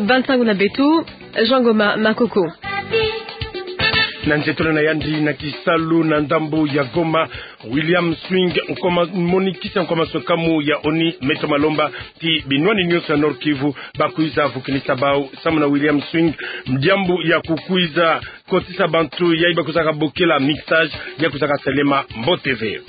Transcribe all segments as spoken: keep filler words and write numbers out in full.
Ba nsangu na beto, Jean Goma Makoko. Na nzietolo na yandi na kisalu na ndambo ya Goma, William Swing, nkoma, moni-kisi ya nkoma nswekamu ya ONI, me toma lomba ti binwani nyonso ya Nord-Kivu bakwiza vukinisa bau samu na William Swing, diambu ya kukwiza kotisa bantu yayi bakwizaka bokila mixage, ya kwizaka salema mbote ve.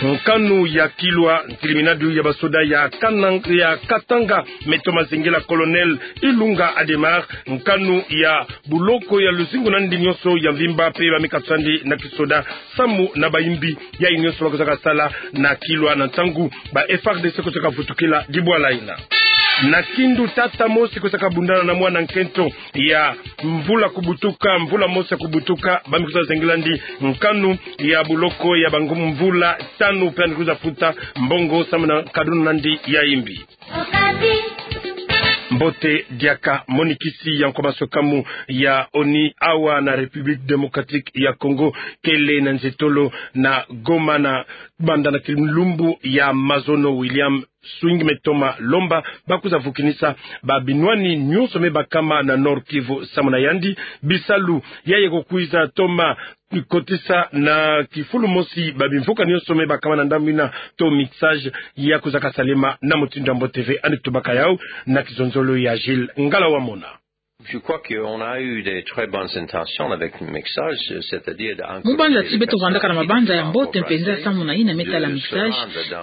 Nkanu ya Kilwa, ntiliminadu ya basoda ya Kanang-, ya Katanga, me toma zingila Colonel Ilunga Adhémar, nkanu ya buloko ya luzingu na yandi nyonso ya mvimba, pe ba me katusa yandi na kisoda samu na bayimbi yayi nyonso bakwizaka sala na Kilwa na ntangu ba F A R D C kwizaka vutukila dibwala yina. Na Kindu, tata mosi kwizaka bundana na mwana nkento ya mvula kubutuka, mvula mosi ya kubutuka, ba me kwiza zengela yandi nkanu ya buloko ya bangu mvula tanu, pe yandi kwiza futa mbongo samu na kadunu na yandi ya yimbi. Mbote diaka. Moni-kisi ya nkoma nswekamu ya ONI awa na République Démocratique ya Congo kele na nzietolo na Goma na banda na kilumbu ya mazono. William Swing me toma lomba bakwiza vukinisa ba binwani nyonso me bakama na Nord-Kivu samu na yandi. Bisalu yayi kukwiza toma kotisa na kifulu mosi ba bimvuka nyonso me bakama na ndambu yina to mixage, ya kwizaka salema na mutindu ya mbote ve, yandi kutubaka yau na kizonzolo ya Gilles Ngala Wamona. Je crois qu'on a eu des très bonnes intentions avec le mixage, c'est-à-dire de... Mu banza ti beto vandaka na mabanza ya mbote mpenza samu na yina me tala mixage,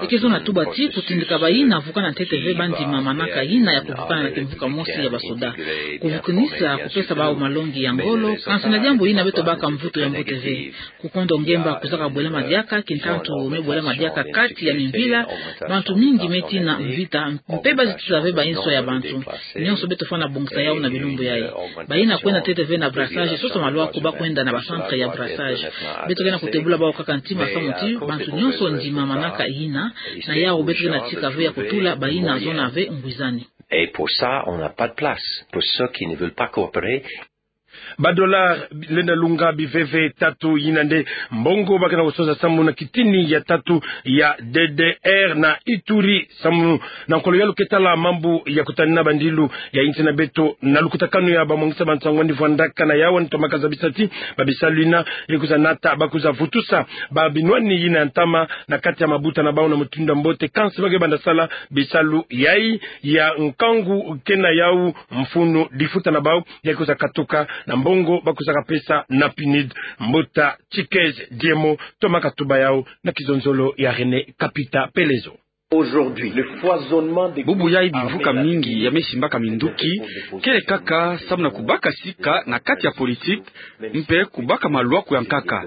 e ke zo na tuba ti kutindika bayina vukana ntete ve bandima manaka yina ya kuvukana na kimvuka mosi ya basoda. Kuvukinisa kupesa bau malongi ya ngolo, kansi na diambu yina beto baka mvutu ya mbote ve. Kukondo ngemba kwizaka bwelama diaka, kintantu me bwelama diaka kati ya mimvila, bantu mingi me tina mvita, mpe bazi tisa ve bainso ya bantu. Nyonso beto fwana bongisa yau na bilumbu yayi. Bayina kwenda ntete ve na brassage, sosa malwaku ba kwenda na ba centre ya brassage. Beto ke na kutebula bau kaka ntima samu ti bantu nyonso ndima manaka yina, na yau beto ke na tika ve ya kutula bayina zona ve ngwizani. Et pour ça, on n'a pas de place. Pour ceux qui ne veulent pas coopérer, Ba dollars lenda lunga biveve tatu yina nde mbongo ba ke na kusosa samu na kitini ya tatu ya D D R na Ituri, samu na nkolo yalu ke tala mambu ya kutanina bandilu ya insi na beto na lukutakanu ya bamwangisa ba nsangu yandi vwandaka na yau, yandi tomaka zabisa ti ba bisalu yina ye kwiza nata bakwiza vutusa ba binwani yina ya ntama na kati ya mabuta na bau na mutindu ya mbote, kansi ba ke banda sala bisalu yayi ya nkangu ke na yau mfunu difuta na bau, ya kwiza katuka na mbongo bakwizaka pesa na PNUD. Mbuta Tshikez Diemo tomaka tuba yau na kizonzolo ya René Kapita Pelezo. Aujourd'hui, le foisonnement des... Bubu yayi bimvuka mingi ya me simbaka minduki, kele kaka samu na kubaka sika na kati ya politique, mpe kubaka malwaku ya nkaka.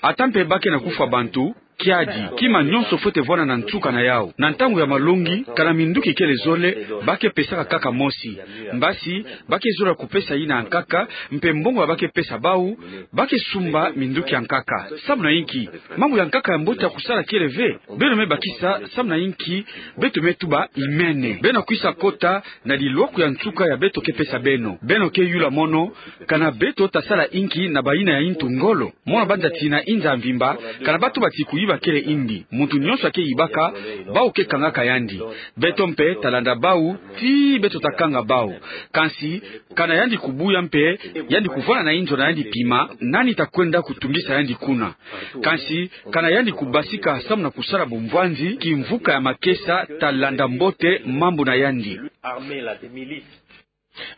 Ata mpe ba ke na kufwa bantu, kiadi, kima nyonso fwete vwanda na nsuka na yau. Na ntangu ya malongi, kana minduki kele zole, ba ke pesaka kaka mosi. Mbasi, ba ke zola kupesa yina ya nkaka, mpe mbongo ya ba ke pesa bau, ba ke sumba minduki ya nkaka. Samu na inki? Mambu ya nkaka ya mbote ya kusala kele ve. Beno me bakisa, samu na inki beto me tuba imene? Beno kwisa kota na lilwaku ya nsuka ya beto ke pesa beno. Beno ke yula mono, kana beto ta sala inki na bayina ya intu ngolo? Mono banza ti na inza ya mvimba, kana ba tuba ti kuyiba kele indi. Muntu nyonso a ke yibaka, bau ke kangaka yandi. Beto mpe ta landa bau, tii beto ta kanga bau. Kansi, kana yandi kubuya mpe yandi kuvwanda na inzo na yandi pima, nani ta kwenda kutungisa yandi kuna? Kansi, kana yandi kubasika samu na kusala bumvwanzi, kimvuka ya makesa ta landa mbote mambu na yandi.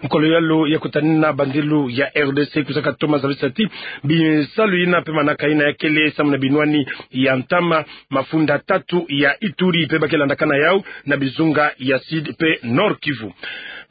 Nkolo yalu ya kutanina bandilu ya R D C kwizaka toma zabisa ti bisalu yina mpe manaka yina ya kele samu na binwani ya ntama, mafunda tatu ya Ituri mpe ba ke landakana yau na bizunga ya Sud mpe Nord-Kivu.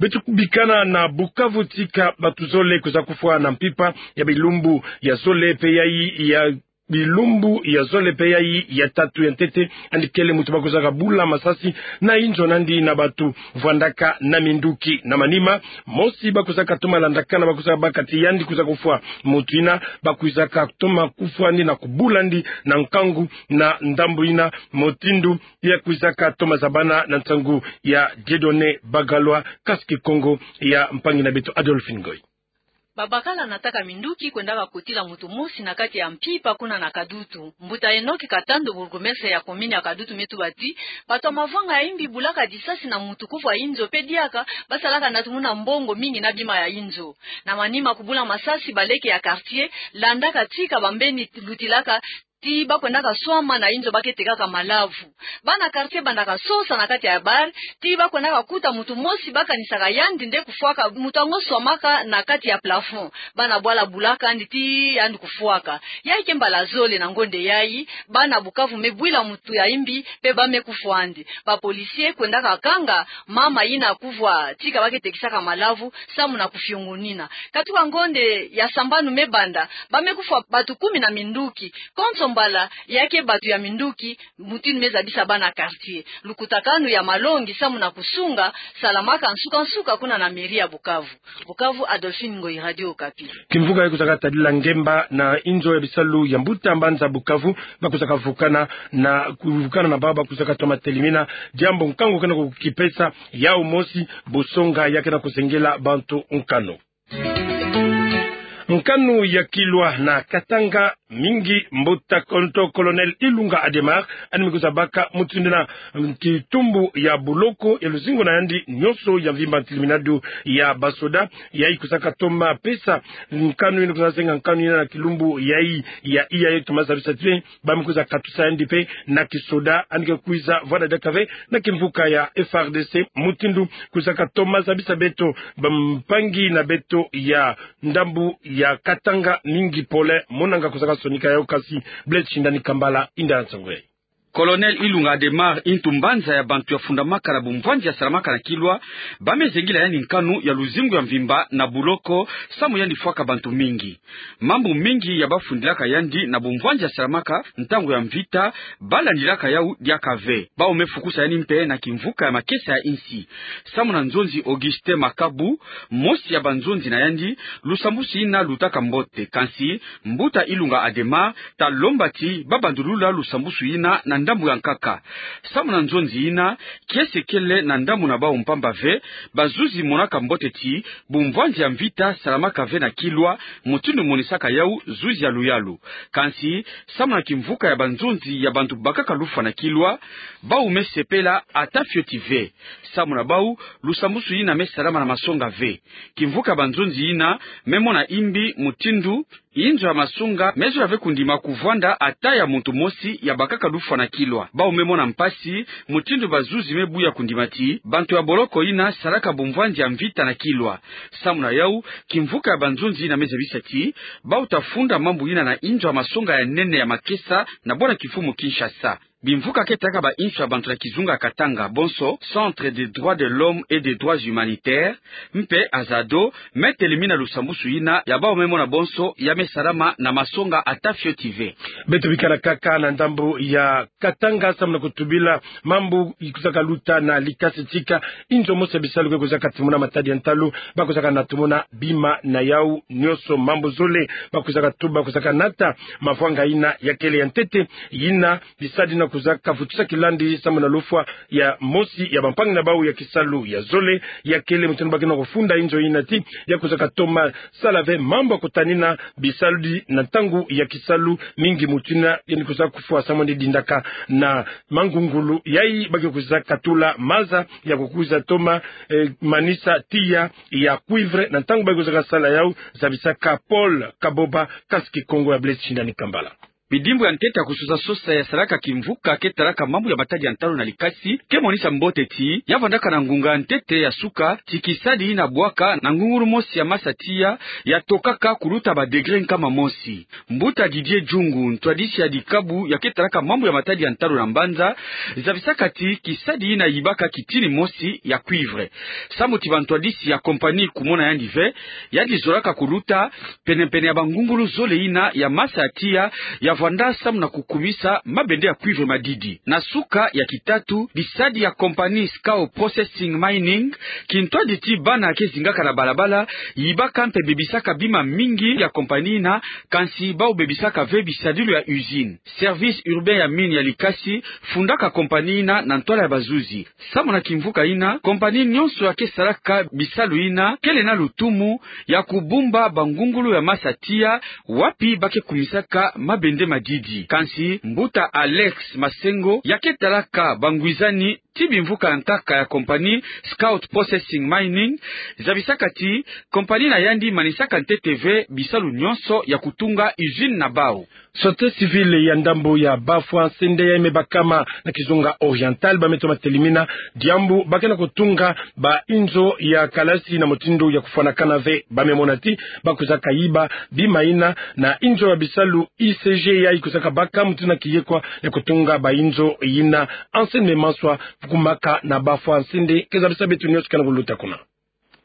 Beto bikana na Bukavu, tika bantu zole kwiza kufwa na mpimpa ya bilumbu ya zole mpe yayi ya bilumbu ya zole mpe yayi ya tatu ya ntete, yandi kele muntu bakwizaka bula masasi na inzo na yandi na bantu vwandaka na minduki. Na manima, mosi bakwizaka toma landakana, bakwizaka baka ti yandi kwiza kufwa muntu yina, bakwizaka toma kufwa yandi na kubula yandi na nkangu na ndambu yina, mutindu ya kwizaka toma zabana na nsangu ya Dieudonné Bagalwa, kasi Kikongo ya mpangi na beto Adolphe Ngoy. Babakala nataka minduki kwendaka kotila moto mosi na kati ya mpimpa kuna na Kadutu. Mbuta Enoch Katando, bourgmestre ya commune ya Kadutu, me tuba ti bato ya mavanga ya imbi bulaka disasi na moto kuvwa inzo, mpe diaka basalaka natumuna mbongo mingi na bima ya inzo. Na manima kubula masasi, baleke ya quartier landaka tika bambeni lutilaka ti bakwendaka swama na inzo ba ke tekaka malavu. Bana quartier bandaka sosa na kati ya bar ti bakwendaka kuta moto mosi bakanisaka yandi nde kufwaka, moto yango swamaka na kati ya plafond. Bana bwala bulaka yandi ti yandi kufwaka. Yayi ke mbala zole na ngonde yayi bana Bukavu me bwila moto ya imbi mpe ba me kufwa yandi. Ba policiers kwendaka kanga mama yina kuvwa tika ba ke tekisaka malavu samu na kufiongonina. Katuka ngonde ya sambanu me banda, ba me kufwa bato kumi na minduki. Konso mbala, ya ke bato ya minduki, mutindu me zabisa bana quartier. Lukutakanu ya malongi samu na kusunga salamaka nsuka-nsuka kuna na mairie ya Bukavu. Bukavu, Adolphine Ngoyi, Radio Okapi. Kimvuka yayi kwizaka tadila ngemba na inzo ya bisalu ya mbuta mbanza Bukavu, ba kwizaka vukana na, kuvukana na bawu ba kwizaka toma telimina diambu nkangu kena kukipesa yau mosi, busonga ya kena kuzengela bantu nkanu. Nkanu ya Kilwa na Katanga mingi, mbuta konto Colonel Ilunga Adhémar, yandi me kwiza baka mutindu na kitumbu ya buloko ya luzingu na yandi nyonso ya mvimba, ntilimina du ya basoda, yayi kwizaka toma pesa nkanu yina, kwiza senga nkanu yina na kilumbu yayi ya iya, yayi toma zabisa ti ba me kwiza katusa yandi mpe na kisoda, yandi ke kwiza vwanda diaka ve na kimvuka ya F R D C, mutindu kwizaka toma zabisa beto bampangi na beto ya ndambu ya Katanga mingi pole. Monanga kwizaka sonika yau, kasi Blaise Shindani Kambala yinda na nsangu yayi. Colonel Ilunga Adhémar, ntu mbanza ya bantu ya fundamaka na bumvwanzi ya salamaka na Kilwa, ba me zengila yandi nkanu ya luzingu ya mvimba na buloko, samu yandi fwaka bantu mingi. Mambu mingi ya ba fundilaka yandi na bumvwanzi ya salamaka ntangu ya mvita, ba landilaka yau diaka ve. Bawu me fukusa yandi mpe na kimvuka ya makesa ya insi. Samu na nzonzi Augustin Makabu, mosi ya banzonzi na yandi, lusambusu yina lutaka mbote. Kansi mbuta Ilunga Adhémar ta lomba ti ba bandulula lusambusu yina na ndambu ya nkaka. Samu na nzonzi yina, kiese kele na ndambu na bawu mpamba ve, bazuzi monaka mbote ti bumvwanzi ya mvita salamaka ve na Kilwa, mutindu monisaka yau zuzi ya luyalu. Kansi, samu na kimvuka ya banzonzi ya bantu bakaka lufwa na Kilwa, bawu me sepela ata fioti ve. Samu na bawu, lusambusu yina me salama na masonga ve. Kimvuka ya banzonzi yina me mona imbi mutindu inzo ya masonga me zola ve kundima kuvwanda ata ya muntu mosi ya bakaka lufwa na Kilwa. Bawu me mona mpasi mutindu bazuzi me buya kundima ti bantu ya boloko yina salaka bumvwanzi ya mvita na Kilwa. Samu na yau, kimvuka ya banzonzi yina me zabisa ti bawu ta funda mambu yina na inzo ya masonga ya nene ya makesa na bwana kimfumu Kinshasa. Bimvuka ke talaka ba insu ya bantu na kizunga Katanga bonso, Centre des droits de l'homme et des droits humanitaires, mpe Azado, me telimina lusambusu yina ya bawu me mona bonso ya me salama na masonga ata fioti ve. Beto bikana kaka na ndambu ya Katanga samu na kutubila mambu ikwizaka luta na Likasi Tika, inzo mosi ya bisalu ke kwizaka timuna matadi ya ntalu, ba kwizaka na timuna bima na yawu nyonso, mambu zole ba kwizaka tuba, kwizaka nata mavwanga yina ya kele ya ntete, yina bisadi yina kwizaka vutusa kilandi samu na lufwa ya mosi ya bampangi na bawu ya kisalu. Ya zole, ya kele mutindu ba ke na kufunda inzo yina ti ya kwizaka toma sala ve mambu ya kutanina bisalu di na ntangu ya kisalu, mingi mutindu yandi kwizaka kufwa samu yandi dindaka na mangungulu. Yayi ba ke kwizaka tula maza ya kukwiza toma, eh, manisa tiya ya cuivre na ntangu ba ke kwizaka sala yawu, zabisaka Paul Kaboba, kasi Kikongo ya Blaise Shindani Kambala. Bidimbu ya ntete ya kusosa sosa ya salaka kimvuka ke talaka mambu ya matadi ya ntalu na Likasi ke monisa mbote ti ya vandaka na ngunga ya ntete ya suka ti kisadi yina bwaka na ngungulu mosi ya masa tiya ya tokaka kuluta ba degré nkama mosi. Mbuta Didier Djungu, ntwadisi ya dikabu ya ke talaka mambu ya matadi ya ntalu na mbanza, zabisaka ti kisadi yina yibaka kitini mosi ya cuivre. Samu ti bantwadisi ya compagnie kumona yandi ve, yandi zolaka kuluta pene-pene ya bangungulu zole yina ya masa ya tiya ya vwanda samu na kukumisa mabende ya cuivre madidi. Na suka ya kitatu, bisadi ya compagnie Scout Processing Mining, kintwadi ti bana ke zingaka na balabala, yibaka mpe bebisaka bima mingi ya compagnie ina, kansi bau bebisaka ve bisadilu ya usine. Service urbain ya mine ya Likasi fundaka compagnie ina na ntwala ya bazuzi. Samu na kimvuka ina, compagnie nyonso ya ke salaka bisalu ina kele na lutumu ya kubumba bangungulu ya masa tiya wapi ba ke kumisaka mabende madidi. Kansi mbuta Alex Masengo, ya ke talaka bangwizani ti bimvuka ya nkaka ya compagnie Scout Processing Mining, zabisaka ti compagnie na yandi manisaka ntete ve bisalu nyonso ya kutunga usine na bau. Société civile ya ndambu ya Bafwa Nsende yayi me bakama na kizunga Oriental, ba me toma telimina diambu ba ke na kutunga bainzo ya kalasi na mutindu ya kufwanakana ve. Ba me mona ti ba kwizaka yiba bima ina na inzo ya bisalu I C G yayi kwizaka baka mutindu na kiyekwa ya kutunga bainzo ina. Anselme Maswa, vuku maka na Bafwa Nsende, ke zabisa beto nyonso ke na kuluta kuna.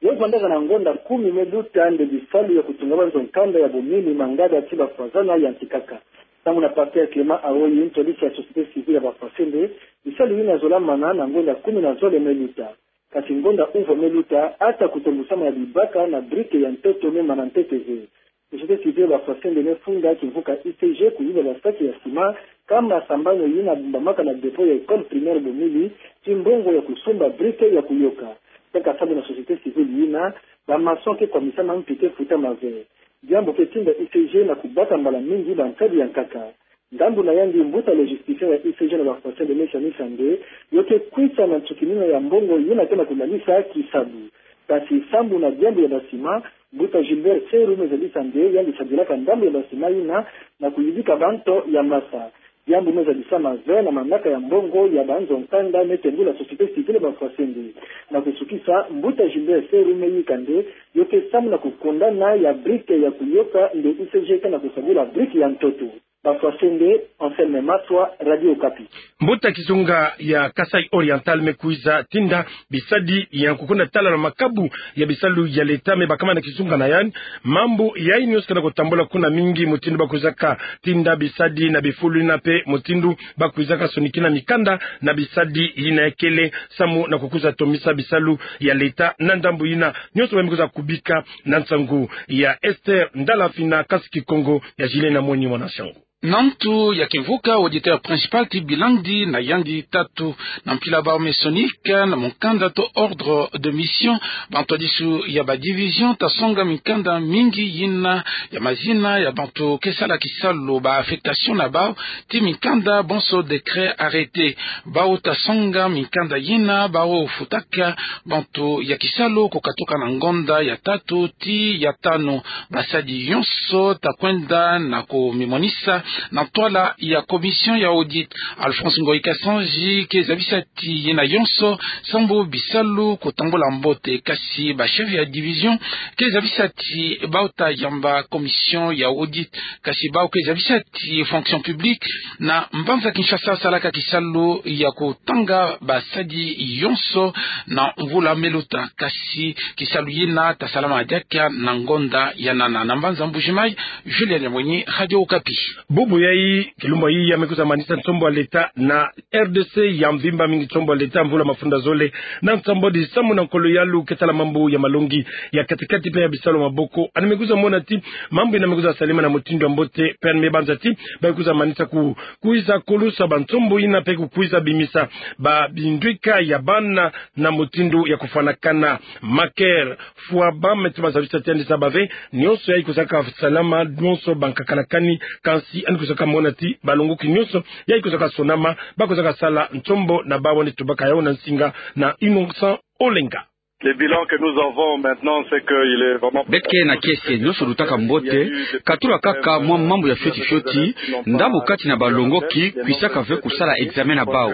Yo vwandaka na ngonda kumi me luta nde bisalu ya kutunga banzo nkanda ya bomini mangada ti Bafwazana yantikaka. Samu na pasteur Clément Awoyi, ntwadisi ya société civile ya Bafwa Nsende, bisalu ina zolamana na ngonda kumi na zole me luta. Kasi ngonda uvwa me luta, ata kutombusama ya bibaka na brique ya ntoto me mana ntete ve. Société civile ya Bafwa Nsende me funda kimvuka I C G kuyiba basaki ya ciment, kama sambanu ina bumbamaka na dépôt ya école primaire Bomili, ti mbongo ya kusumba brique ya kuyoka. Kaka samu na société civile ina, ba maçon ke kwamisa mampi ke futama ve. Diambu ke tinda I C G na kubaka mbala mingi bankadi ya nkaka. Ndambu na yandi, mbuta logisticien ya I C G na Bafwa Nsende me sanisa nde yo ke kwisa na nsukinina ya mbongo ina ke na kunanisa kisalu. Kasi samu na diambu ya ba ciment, mbuta Gilbert Seru me zabisa nde yandi sadilaka ndambu ya ba ciment ina na kuyidika banto ya masa. Diambu me zabisama ve na manaka ya mbongo ya banzo nkanda me tendula société civile ya Bafwa Nsende. Na kusukisa, mbuta Gilbert Seru me yika nde yo ke samu na kukondana ya brique ya kuyoka nde I C G ke na kusabula brique ya ntoto. Bafwa Nsende, Anselme Maswa, Radio Okapi. Mbuta kizunga ya Kasaï Oriental me kwiza tinda bisadi ya kukunda tala na makabu ya bisalu ya leta me bakama na kizunga na yandi. Mambu yayi nyonso ke na kutambula kuna mingi mutindu ba kwizaka tinda bisadi na bifulu ina mpe mutindu ba kwizaka sonikina mikanda na bisadi ina ya kele samu na kukwiza tomisa bisalu ya leta na ndambu ina. Nyonso ba me kwiza kubika na nsangu ya Esther Ndala Mfina, Kasi Kikongo ya Gilles Namoni mwana Sango. Na ntu ya kimvuka, auditeur principal ti bilandi na yandi tatu. Na mpila bau me sonika na mukanda to ordre de mission, bantu ya disu ya ba division ta songa mikanda mingi ina ya mazina ya bantu ke sala kisalu, ba affectation na bau, ti mikanda bonso décret, arrêté. Bau ta songa mikanda ina bau futaka bantu ya kisalu kukatuka na ngonda ya tatu ti ya tanu. Basadi yonso ta kwenda na kumimonisa na ntwala ya commission ya audit. Alphonse Ngoyi Kasanji ke zabisa ti yina yonso sambu bisalu kutambula mbote, kasi ba chef ya division ke zabisa ti bau ta yamba commission ya audit, kasi bau ke zabisa ti fonction publique na mbanza Kinshasa salaka kisalu ya kutanga basadi yonso na mvula me luta, kasi kisalu yina ta salama diaka na ngonda ya nana. Na mbanza Mbuji-Mayi, Julien Nyamwenyi, Radio Okapi. Bubu yayi, kilumbu yayi, ya me kwiza manisa nsombo ya leta na R D C ya mvimba mingi, nsombo ya leta mvula mafunda zole na nsambwadi samu na nkolo ya lu ke tala mambu ya malongi ya kati-kati mpe ya bisalu ya maboko. Yandi me kwiza mona ti mambu yina me kwiza salama na mutindu ya mbote, mpe yandi me banza ti ba kwiza manisa ku, kwiza kulusa bansombo yina mpe kukwiza bimisa ba bindwika ya bana na mutindu ya kufwanakana. Maker Fouaba me toma zabisa ti yandi zaba ve, nyonso yayi kwizaka salama, nyonso bankaka na kani, kansi yandi kwizaka mona ti balongoki nyonso yayi kwizaka sonama, ba kwizaka sala nsombo na bau, yandi tubaka yawu na nsinga na Innocent Olenga. Le bilan que nous avons maintenant, c'est que il est vraiment... Beto ke na kiese, nyonso lutaka mbote, katula kaka mwa mambu ya fioti-fioti, ndambu kati na balongoki kwisaka ve kusala examen na bau.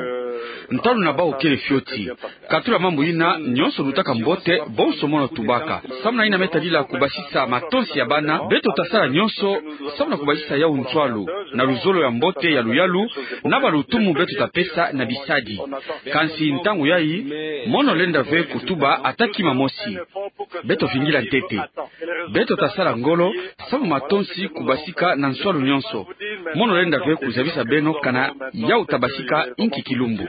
Ntalu na bau kele fioti. Katula mambu yina, nyonso lutaka mbote, bonso mono tubaka. Samu na yina me tadila kubasisa matonsi ya bana, beto ta sala nyonso samu na kubasisa yawu nswalu, na luzolo ya mbote ya luyalu, na balutumu beto ta pesa na bisadi. Kansi ntangu yayi, mono lenda ve kutuba ata kima mosi. Beto vingila ntete. Beto ta sala ngolo samu matonsi kubasika na nswalu nyonso. Mono lenda twe kuzabisa beno kana yau tabasika inki kilumbu.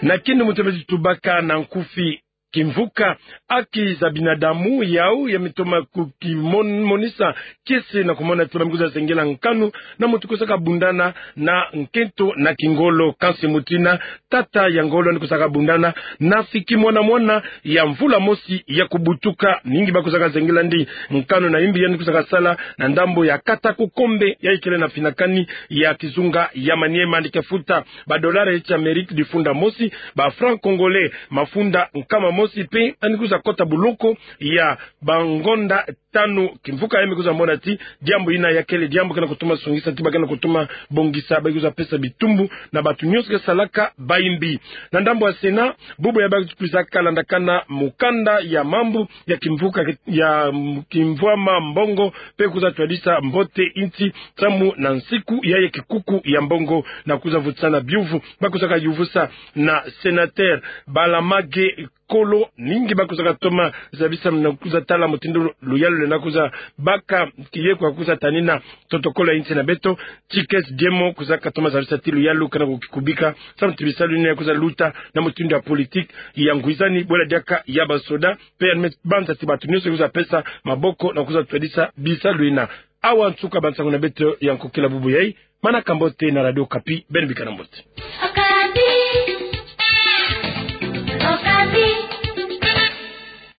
Na kinu mutemezi tubaka na nkufi. Kimvuka haki za binadamu yau ya mitoma ku kimon-, monisa kisi na kumona ti ba mi kwiza zengela nkanu na muntu kwiza kabundana na nkento na kingolo, kansi mutina tata ya ngolo ni kwiza kabundana na siki mwana mwana ya mvula mosi ya kubutuka. Mingi ba kwiza kazengela ndi nkanu na imbi yandi kwiza kasala na ndambo ya kata kukombe ya ikele na finakani ya kizunga ya Maniema, ndi ke futa ba dollars ya Amérique difunda mosi, ba francs congolais mafunda nkama mosi, mpe yandi kwiza kota boloko ya bangonda tanu. Kimvuka ya mi kwiza mona ti diambu yina ya kele diambu ke na kutuma sungisa ti ba ke na kutuma bongisa, ba kwiza pesa bitumbu na bantu nyonso ke salaka bayimbi. Na ndambo ya Sénat, bubu ya ba kwiza kalandakana mukanda ya mambu ya kimvuka ke-, ya, mm, kimvwama mbongo, mpe kwiza twadisa mbote insi samu na nsiku ya ye kikuku ya mbongo na kwiza vutisana biuvu ba kwiza kayuvusa na sénateur Balamage Kolo. Mingi ba kwiza katoma zabisa na kwiza tala mutindu luyalu lwena kwiza baka kiye kwa kwiza tanina totokolo ya insi na beto. Tikes Diemo kwiza katoma zabisa ti luyalu ke na kukikubika samu ti bisalu yina ya kwiza luta na mutindu ya politique ya ngwizani bwela diaka ya basoda, mpe yandi me banza ti bantu nyonso kwiza pesa maboko na kwiza twadisa bisalu yina. Awa nsuka bansangu na beto ya nkokila bubu yai. Manaka mbote na Radio Okapi, beno bikana mbote.